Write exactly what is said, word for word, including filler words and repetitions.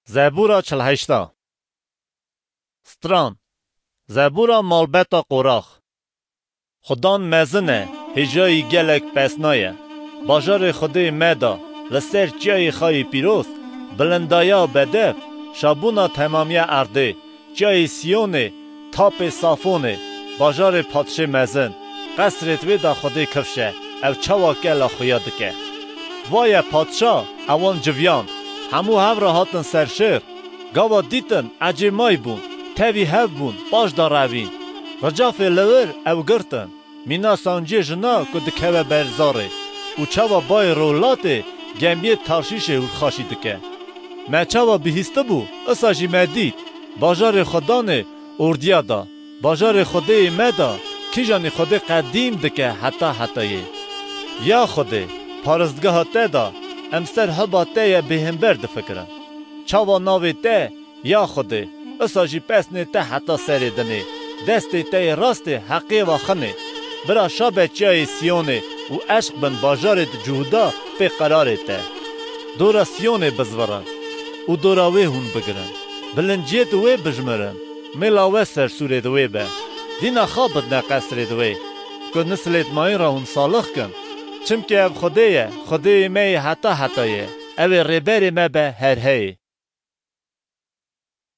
Zebûra çil heşta. Stran. Zebûra malbeta Qorax. Xudan mezin e, hêjayî gelek pesna ye. Bajarê Xwedê me da, li ser çiyayê xayê pîroz, bilindaya bedev, şabûna temamiya erdê, çiyayê Siyonê, tapê Safonê, bajarê padşê mezin, qesrêd wê da Xwedê kifş e, ew çawa kela xuya dike. Vaye padşa, ewan civiyan, hemû hev re hatin ser şêr, gava dîtin, ecê may bûn, tevî hev bûn, paş da revîn. Ricafê li wir ew girtin, mîna sanciyê jina ku dikeve ber zarê û çawa bayê rolatê gemiyê Tarşîşê hûrxaşî dike. Me çawa bihîstibû, isa jî me dît, bajarê Xudanê ordiya da, bajarê Xwedêyê me da, kîjanî Xwedê qedîm dike heta hetayê. Ya Xwedê, paristgeha te da, em ser hiba te ye bêhember difikirin. Çawa navê te, ya Xwedê, isa jî pesnê te heta serê dinê, destê te yê rastê heqê va xinê. Bira şabe çiyayê Siyonê û eşq bin bajarê di Cûhda pê qerarê te. Dora Siyonê bizvirin û dora wê hûn bigirin. Bilinciyêt wê bijmirin. Mêla we sersûrêd wê be. Dîna xa bidne qesrêd wê. Ku nislêt mayîn re hûn salix kin. Çimkî ev Xwedê ye, Xwedêyê me yê heta heta ye. Ew ê rêberê me be her heyê.